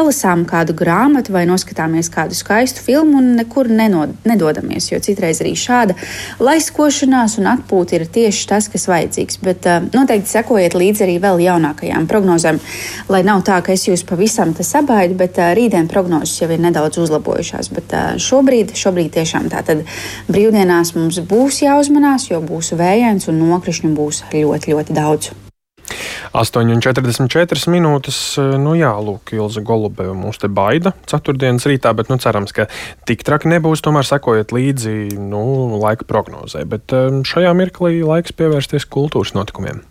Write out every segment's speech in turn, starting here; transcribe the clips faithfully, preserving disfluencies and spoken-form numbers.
lasām kādu grāmatu vai noskatāmies kādu skaistu filmu un nekur nenod, nedodamies, jo citreiz arī šāda laiskošanās un atpūta ir tieši tas, kas vajadzīgs. Bet uh, noteikti sekojiet līdzi arī vēl jaunākajām prognozēm, lai nav tā, ka es jūs pavisam te sabaidu, bet uh, rītdien prognozes jau ir nedaudz uzlabojušās. Bet uh, šobrīd, šobrīd tiešām tātad brīvdienās mums būs jāuzmanās, jo būs vējains un nokrišņu būs ļoti, ļoti daudz. astoņi un četrdesmit četras minūtes, nu jā, lūk, Ilze Golubeva mūs te baida ceturtdienas rītā, bet nu cerams, ka tik traki nebūs, tomēr sekojiet līdzi, nu, laika prognozē. Bet šajā mirklī laiks pievērsties kultūras notikumiem.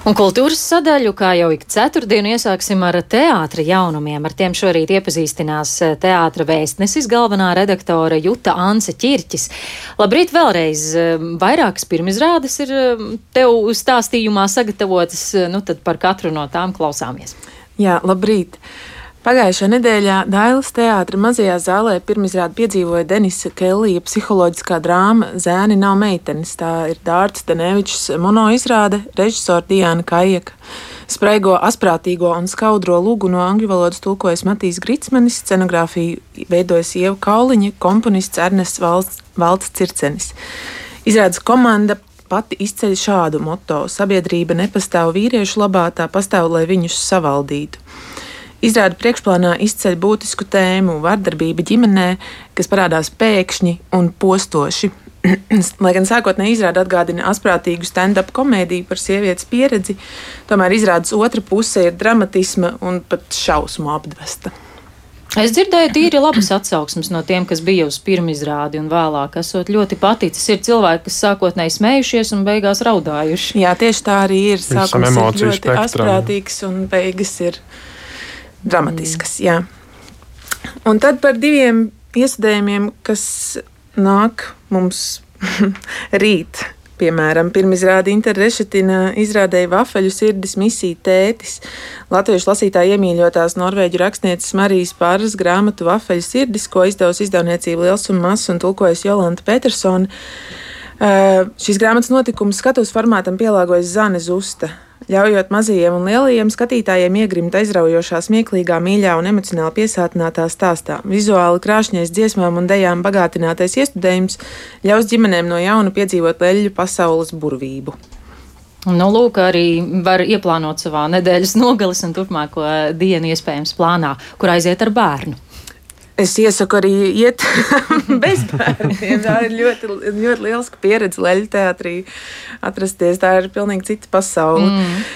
Un kultūras sadaļu, kā jau ik ceturtdienu, iesāksim ar teātra jaunumiem. Ar tiem šorīt iepazīstinās teātra vēstnesis, galvenā redaktore Juta Ance Ķirķis. Labrīt vēlreiz. Vairākas pirmizrādes ir tev stāstījumā sagatavotas, nu tad par katru no tām klausāmies. Jā, labrīt. Pagājušajā nedēļā Dailas teātra mazajā zālē pirmizrādi piedzīvoja Denisa Kellija psiholoģiskā drāma Zēni nav meitenes. Tā ir Dārts Danevičs monoizrāde, režisora Diana Kajeka. Spraigo, asprātīgo un skaudro lūgu no angļu valodas tulkojas Matīs Gritsmanis, scenogrāfiju veidojas Ieva Kauliņa, komponists Ernests Valts, Valts Circenis. Izrādes komanda pati izceļ šādu moto: sabiedrība nepastāv vīriešu labā, tā pastāv, lai viņus savaldītu. Izrāda priekšplānā izceļ būtisku tēmu - vardarbība ģimenē, kas parādās pēkšņi un postoši. Lai gan sākotnēji izrāda atgādina asprātīgu stand-up komēdiju par sievietes pieredzi, tomēr izrādes otra puse ir dramatisma un pat šausmu apdvesta. Es dzirdēju tīri labas atsauksmes no tiem, kas bija uz pirmizrādi un vēlāk esot ļoti paticis. Ir cilvēki, kas sākotnēji smējušies un beigās raudājuši. Jā, tieši tā arī ir. Sākums ir ļoti spektram. asprātīgs un beigas ir dramatiskas, jā. Un tad par diviem iestudējumiem, kas nāk mums rīt. Piemēram, pirmizrāde Inter Rešetina izrādēja Vafeļu sirdis misija tētis. Latviešu lasītāji iemīļotās norvēģu rakstnieces Marijas Pāras grāmatu Vafeļu sirdis, ko izdevusi izdevniecība Liels un Mazs un tulkojas Jolanta Petersone. Uh, šīs grāmatas notikums skatuves formātam pielāgojas Zane Zusta, ļaujot mazajiem un lielajiem skatītājiem iegrimt aizraujošā, smieklīgā, mīļā un emocionāli piesātinātā stāstā. Vizuāli krāšņais dziesmām un dejām bagātinātais iestudējums ļaus ģimenēm no jauna piedzīvot leļļu pasaules burvību. Nu, lūk, arī var ieplānot savā nedēļas nogalis un turpmāko dienu iespējams plānā, kur aiziet ar bērnu. Es iesaku arī iet bez bērniem. Tā ir ļoti, ļoti liela pieredze leļu teātrī atrasties. Tā ir pilnīgi cita pasaule. Mm.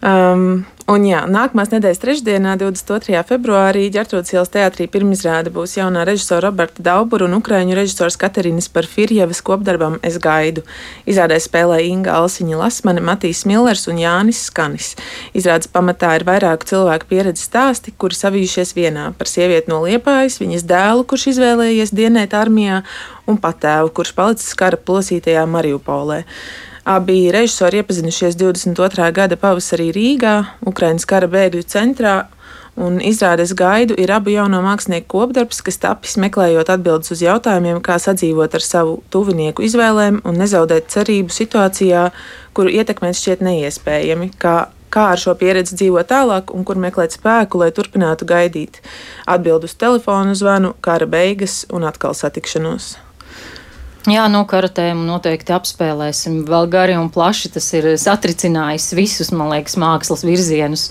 Um, un jā, nākamās nedēļas trešdienā, divdesmit otrajā februārī, Ģertrūdes ielas teātrī pirmizrāde būs jaunā režisora Roberta Daubura un ukraiņu režisors Katerinas Parfirjevas kopdarbam Es gaidu. Izrādē spēlē Inga Alsiņa Lasmane, Matīs Millers un Jānis Skanis. Izrādes pamatā ir vairāku cilvēku pieredzes stāsti, kuri savijušies vienā: par sievieti no Liepājas, viņas dēlu, kurš izvēlējies dienēt armijā, un patēvu, kurš palicis kara plosītajā Mariupolē. Abi režisori iepazinušies divdesmit otrā gada pavasarī Rīgā, Ukrainas kara bēgļu centrā, un izrāde Es gaidu ir abu jauno mākslinieku kopdarbs, kas tapis meklējot atbildes uz jautājumiem, kā sadzīvot ar savu tuvinieku izvēlēm un nezaudēt cerību situācijā, kuru ietekmēt šķiet neiespējami, kā, kā ar šo pieredzi dzīvot tālāk un kur meklēt spēku, lai turpinātu gaidīt. Atbild uz telefonu zvanu, kara beigas un atkal satikšanos. Jā, no kara tēmu noteikti apspēlēsim vēl gari un plaši. Tas ir satricinājis visus, man liekas, mākslas virzienus.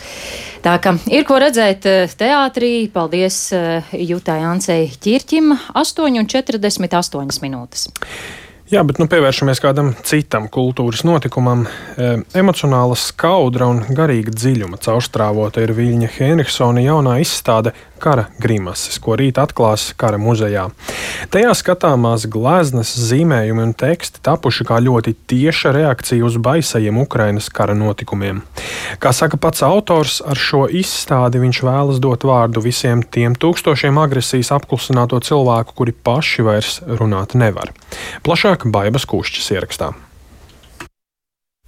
Tā ka ir ko redzēt teātrī. Paldies Jutai Ancei Ķirķim. astoņi un četrdesmit astoņas minūtes. Jā, bet nu pievēršamies kādam citam kultūras notikumam. E, emocionāla skaudra un garīga dziļuma caurstrāvota ir Viļņa Henriksona jaunā izstāde Kara grimases, ko rīt atklās Kara muzejā. Tajā skatāmās gleznas, zīmējumi un teksti tapuši kā ļoti tieša reakcija uz baisajiem Ukrainas kara notikumiem. Kā saka pats autors, ar šo izstādi viņš vēlas dot vārdu visiem tiem tūkstošiem agresijas apklusināto cilvēku, kuri paši vairs runāt nevar. Plašāk Baibas Kušķis ierakstā.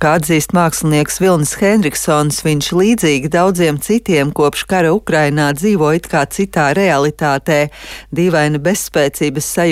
Kā atzīst mākslinieks Vilnis Henriksons, viņš līdzīgi daudziem citiem kopš kara Ukrainā dzīvo it kā citā realitātē. Dīvaina bezspēcības sajūta